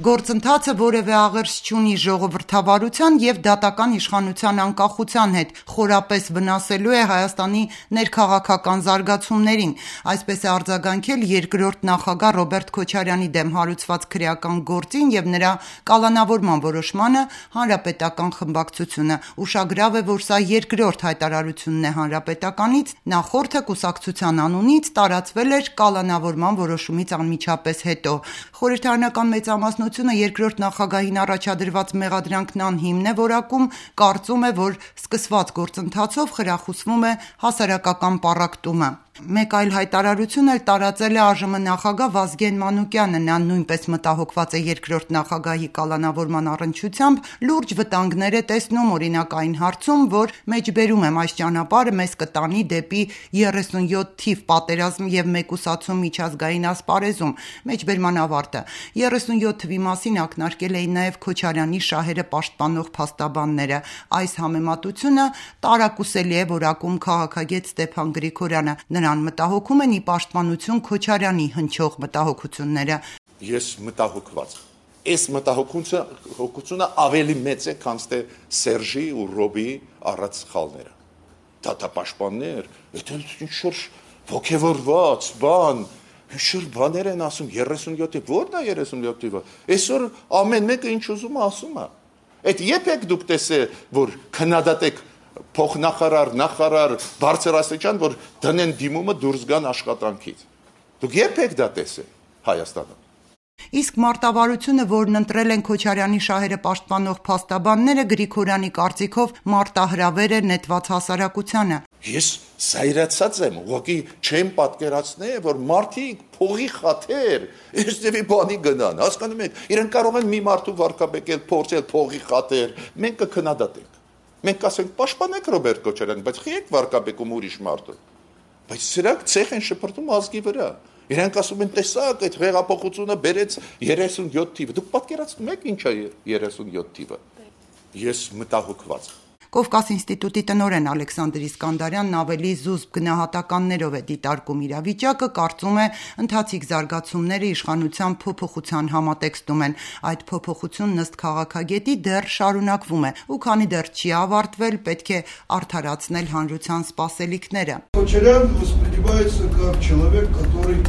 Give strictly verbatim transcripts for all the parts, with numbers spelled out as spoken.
Գործընթացը որևէ աղերս չունի ժողովրդավարության և դատական իշխանության անկախության հետ, խորապես վնասելու է Հայաստանի ներքաղաքական զարգացումներին։ Այսպես է արձագանքել երկրորդ նախագահ Ռոբերտ Քոչարյանի դեմ հարուցված քրեական գործին և նրա կալանավորման որոշմանը Հանրապետական խմբակցությունը։ Ուշագրավ է, որ սա երկրորդ հայտարարությունն է Հանրապետականից, նախորդը կուսակցության անունից տարածվել էր կալանավորման որոշումից անմիջապես հետո։ Խորհրդարանական մեծամասնությունը երկրորդ նախագահին առաջադրված մեղադրանքն անհիմն է որակում, կարծում է, որ սկսված գործընթացով խրախուսվում է հասարակական պառակտումը։ Մեկ այլ հայտարարություն էլ տարածել է ԱԺՄ նախագահ Վազգեն Մանուկյանը։ Նա նույնպես մտահոգված է երկրորդ նախագահի կալանավորման առնչությամբ, լուրջ վտանգներ է տեսնում օրինակ այն հարցում, որ մեջբերում եմ այս ճանապարհը մեզ կտանի դեպի երեսունյոթ թիվ պատերազմ և մեկուսացում միջազգային ասպարեզում։ Մեջբերման ավարտը։ երեսունյոթ թվի մասին ակնարկել էին նաև Քոչարյանի շահերը պաշտպանող փաստաբանները։ Այս համեմատությունը տարակուսելի է որակում քաղաքագետ Ստեփան Գրիգորյանը։ Նրան մտահոգում են ի պաշտպանություն Քոչարյանի հնչող մտահոգությունները։ Ես մտահոգված Այս մտահոգությունը ավելի մեծ է, քան թե Սերժի ու Ռոբիի առած սխալները։ Դատապաշտպաններ, դա ինչ-որ ոգևորված բան, ինչ-որ բաներ են ասում, երեսունյոթ թիվ, ո՞րն է երեսունյոթ թիվը։ Այսօր ամեն մեկը ինչ ուզում է ասում է։ Այդ երբ եք դուք տեսել, որ քննադատեք փոխնախարար, նախարար, բարձրաստիճան, որ դնեն դիմումը դուրս գան աշխատանքից։ Դուք երբ եք դա տեսել Հայաստանում։ Իսկ մարտավարությունը, որն ընտրել են Քոչարյանի շահերը պաշտպանող փաստաբանները, Գրիգորյանի կարծիքով մարտահրավեր է նետված հասարակությանը։ Ես զայրացած եմ, ուղղակի չեմ պատկերացնել, որ մարդիկ փողի խաթեր, այստեղի բանի գնան, հասկանում եք, իրենք կարող են մի մարդու վարկաբեկել, փորձել փողի խաթեր, մենք կքննադատենք։ Մենք ասենք պաշտպանեք Ռոբերտ Քոչարյանին, բայց խի եք վարկաբեկում ուրիշ մարդու։ Բայց սրանք ցեխ են շփրտում ազգի վրա։ Իրանք ասում են, տեսակ, այդ հեղափոխությունը բերեց երեսունյոթ թիվը։ Դուք պատկերացնում եք ինչ է երեսունյոթ թիվը։ Ես մտահոգված Կովկաս ինստիտուտի տնօրեն Ալեքսանդր Իսկանդարյանն ավելի զուսպ գնահատականներով է դիտարկում իրավիճակը, կարծում է ընթացիկ զարգացումները իշխանության փոփոխության համատեքստում են։ Այդ փոփոխությունն ըստ քաղաքագետի դեռ շարունակվում է, ու քանի դեռ չի ավարտվել, պետք է արդարացնել հանրության սպասելիքները։ Քոչարյան воспринимается как человек, который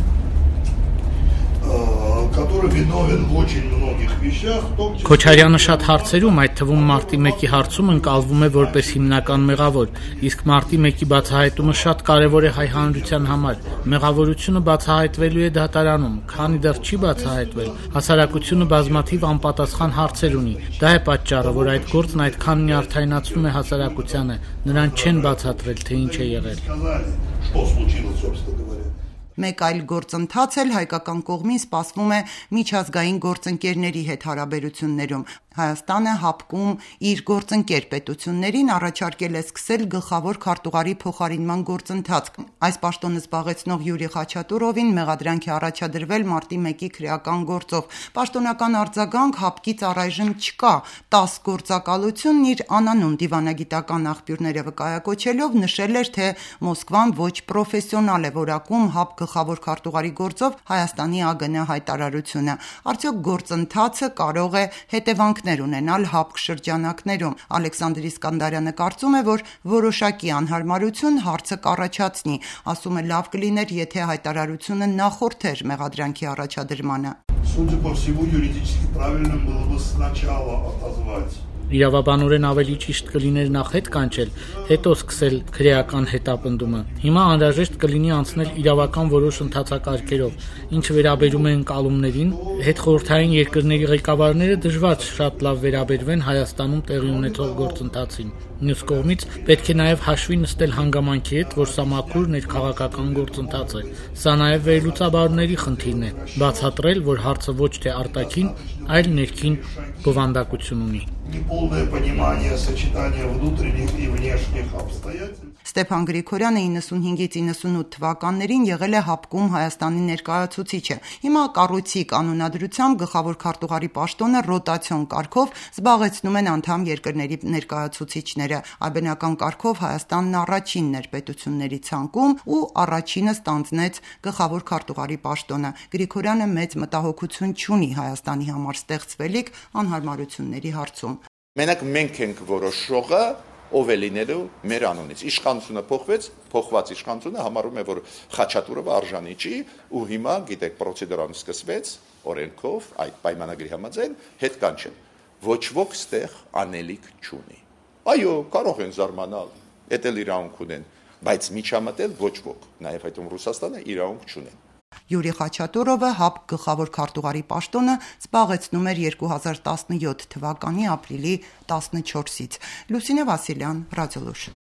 который виновен в очень многих вещах, в том числе Քոչարյանը շատ հարցերում, այդ թվում մարտի մեկի հարցում ընկալվում է որպես հիմնական մեղավոր, իսկ մարտի մեկի բացահայտումը շատ կարևոր է հայ հանրության համար։ Մեղավորությունը բացահայտվելու է դատարանում, քանի դեռ չի բացահայտվել, հասարակությունը բազմաթիվ անպատասխան հարցեր ունի։ Դա է պատճառը, որ այդ գործն այդքան նյարդայնացնում է հասարակությանը, նրան չեն բացատրել, թե ինչ է եղել։ Մեկ այլ գործընթաց էլ հայկական կողմին սպասվում է միջազգային գործընկերների հետ հարաբերություններում։ Հայաստանը հապկում իր գործընկեր պետություններին առաջարկել է սկսել գլխավոր քարտուղարի փոխարինման գործընթաց։ Այս պաշտոնը զբաղեցնող Յուրի Խաչատուրովին մեղադրանք է առաջադրվել մարտի մեկի քրեական գործով։ Պաշտոնական արձագանք հապկից առայժմ չկա։ տաս գործակալությունն իր անանուն դիվանագիտական աղբյուրները վկայակոչելով նշել էր, թե Մոսկվան ոչ պրոֆեսիոնալ է որակում հապ գլխավոր քարտուղարի գործով Հայաստանի ԱԳՆ հայտարարությունը։ Արդյոք գործընթացը կարող է հետևանքներ ունենալ հապկ շրջանակներում։ Ալեքսանդր Իսկանդարյանը կարծում է, որ որոշակի անհարմարություն հարցը կառաջացնի, ասում է լավ կլիներ, եթե հայտարարությունը նախորդեր մեղադրանքի առաջադրմանը։ Судя по всему, юридически правильно было бы сначала отозвать. Իրավաբանորեն ավելի ճիշտ կլիներ նախ հետ կանչել, հետո սկսել քրեական հետապնդումը։ Հիմա անհրաժեշտ կլինի անցնել իրավական որոշ ընթացակարգերով, ինչը վերաբերում է ընկալումներին, հետխորհրդային երկրների ղեկավարները դժվար շատ լավ վերաբերվեն Հայաստանում տեղի ունեցող գործընթացին։ Մյուս կողմից պետք է նաև հաշվի նստել հանգամանքի հետ, որ սա մաքուր ներքաղաքական գործընթաց է։ Սա նաև վերլուծաբանների խնդիրն է՝ բացատրել, որ հարցը ոչ թե արտաքին, այլ ներքին բովանդակություն ունի։ Неполное понимание сочетания внутренних и внешних обстоятельств. Ստեփան Գրիգորյանը իննսունհինգից իննսունութ թվականներին եղել է ՀԱՊԿ-ում Հայաստանի ներկայացուցիչը։ Հիմա կառույցի կանոնադրությամբ գլխավոր քարտուղարի պաշտոնը ռոտացիոն կարգով զբաղեցնում են անդամ երկրների ներկայացուցիչները։ Այբնական կարգով Հայաստանն առաջինն էր պետությունների ցանկում ու առաջինը ստանձնեց գլխավոր քարտուղարի պաշտոնը։ Գրիգորյանը մեծ մտահոգություն չունի Հայաստանի համար ստեղծվելիք անհարմարությունների հարցում։ Մենակ մենք ենք որոշողը ով է լինելու մեր անունից։ Իշխանությունը փոխվեց, փոխված իշխանությունը համարում է, որ Խաչատուրովը արժանի չի ու հիմա, գիտեք, պրոցեդուրան սկսվեց օրենքով, այդ պայմանագրի համաձայն հետ կանչեն։ Ոչ ոք ստեղ անելիք չունի։ Այո, կարող են զարմանալ, էդ էլ իրավունք ունեն, բայց միջամտել ոչ ոք, նաև այդում Ռուսաստանը իրավունք չունեն։ Յուրի Խաչատուրովը ՀԱՊԿ գլխավոր քարտուղարի պաշտոնը զբաղեցնում էր երկու հազար տասնյոթ թվականի ապրիլի տասնչորսից։ Լուսինե Վասիլյան, Ռադիոլուր։